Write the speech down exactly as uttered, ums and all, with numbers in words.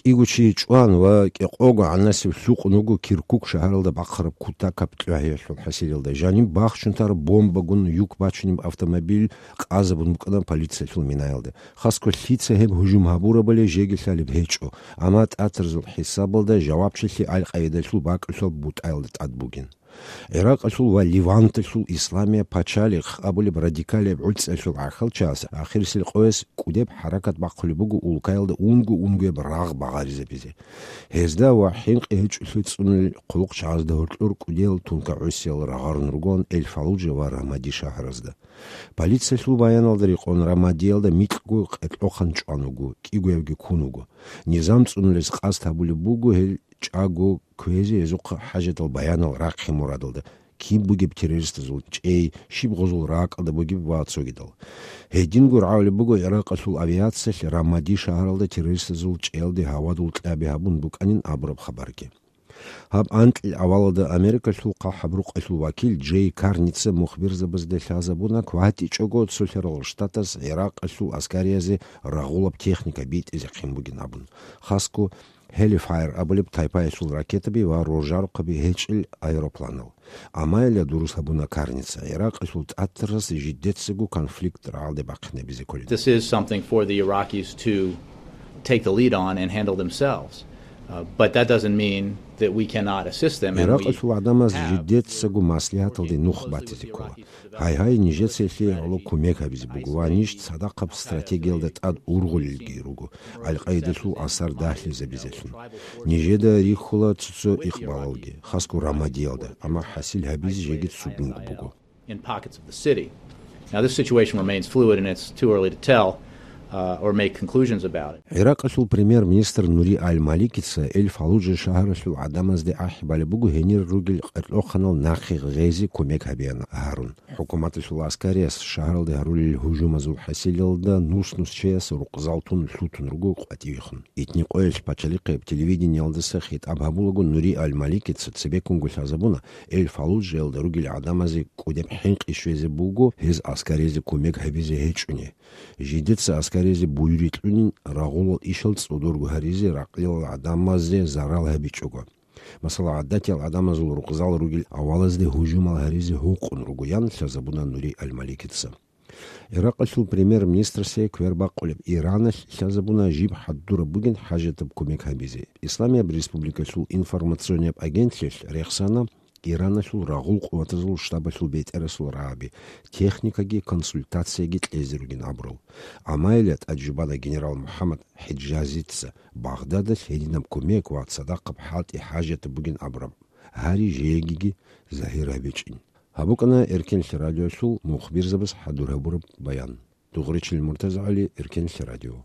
КӀиго чи чӀван ва кӀикъого гӀанасеб лъукъун вуго Киркук шагьаралда бахъараб кутакаб кьогӀиялъул хӀасилалда. Жаниб бахчун тараб бомбагун юк бачунеб автомобиль къазабун букӀана полициялъул минаялда. Хасго лъица гьеб гьужум гьабурабали жеги лъалеб гьечӀо, амма тӀатарзул хӀисабалда жавабчилъи аль-Къаидалъул бакӀалъул бутӀаялда тӀад бугин. ГӀиракъалъул ва Леванталъул Исламия пачалихъ абулеб радикалияб гӀуцӀиялъул гӀахьалчияс ахирисел къояс кӀудеб хӀаракат бахъулеб буго улкаялда унго-унгояб рагъ багъаризабизе. Гьезда ва хӀинкъи гьечӀолъи цӀунулел хъулухъчагӀазда гьоркьор кӀудиял тункагӀусиял рагъарун ругоан Эль-Фаллуджа ва Рамади шагьаразда. Полициялъул баяналда рекъон Рамадиялда микьго къеркьохъан чӀван вуго, кӀигоябги ккун вуго. Низам цӀунулес къасд гьабулеб буго гьел чӀаго кквезе гьезухъа хӀажатал баянал рахъе мурадалда, киб бугеб террористазул чӀей, щиб гъозул ракӀалда бугеб ва цогидал. Гьединго рагӀулеб буго ГӀиракъалъул авиациялъ Рамади шагьаралда террористазул чӀеялде гьавадул кьаби гьабун букӀанин абураб хабарги. Гьаб анкьил авалалда Америкалъул хъахӀаб рукъалъул вакил Джей Карница мухбирзабазда лъазабуна, кватӀичӀого Цолъарал Штатас ГӀиракъалъул аскариязде рагъулаб техника битӀизехъин бугин абун. Хасго Hellfire абулеб тайпаялъул ракетаби ва роржарухъаби гьечӀел аэропланал. Амайилла дурус гьабуна Карница, ГӀиракъалъул тӀатарас жидецаго конфликт рагӀалде бахъинабизе кколин. This is something for the Iraqis to take the lead on and handle themselves. Uh, but that doesn't mean that we cannot assist them, and we ГӀиракъалъул гӀадамаз have жидецаго маслигьаталде нух батизе ккола. Гьай-гьай, нижеца гьелъие гӀоло кумек гьабизе буго ва ниж цадахъаб стратегиялда тӀад ургъулелги руго, Аль-Къаидалъул асар дагьлъизабизелъун. Нижеда рихьула цо-цо икъбалалги, хасго Рамадиялда, амма хӀасил гьабизе жеги цугунго буго. In pockets of the city. Now, this situation remains fluid, and it's too early to tell, uh, or make conclusions about it. ГӀиракъалъул премьер-министр Нури Аль-Маликица Эль-Фаллуджа шагьаралъул гӀадамазде ахӀи балеб буго гьенир ругел къеркьохъанал нахъе гъезе кумек гьабеян гьарун. ХӀукуматалъул аскариялъ шагьаралде гьарулел гьужумазул хӀасилалда нус-нус чияс рукъзал тун лъутун руго къватӀивехун. Итни къоялъ пачалихъе телевидениялдаса хитӀаб гьабулаго Нури Аль-Маликица цебеккунго лъазабуна, Эль-Фаллуджаялда ругел гӀадамазе кӀудеб хӀинкъи щвезе буго гьез аскаризе кумек гьабизе гьечӀони. Жидеца аскаризе буюри кьунин, рагъулал ишал цӀодорго гьаризе, ракълилал гӀадамазе зарал гьабичӀого. Масала, гӀадатиял гӀадамазул рукъзал ругел авалазде гьужумал гьаризе гьукъун ругоян лъазабуна Нури Аль-Маликица. ГӀиракъалъул премьер-министрасде квербакъулеб Ираналъ лъазабуна жиб хӀадураб бугин хӀажатаб кумек гьабизе. Исламияб республикалъул информационияб агентлъиялъ рехсана, Ираналъул рагъул къуватазул штабалъул бетӀерасул рагӀаби, техникаги консультацияги кьезе ругин абурал. Амайилла тӀаде жубана генерал МухӀаммад ХӀиджазица Багъдадалъ гьединаб кумек ва цадахъаб хӀалтӀи хӀажатаб бугин абураб гьари жегиги загьир гьабичӀин. Гьаб букӀана Эркенлъи радиоялъул мухбирзабаз хӀадур гьабураб баян. Дугъричил МуртазагӀали, Эркенлъи радио.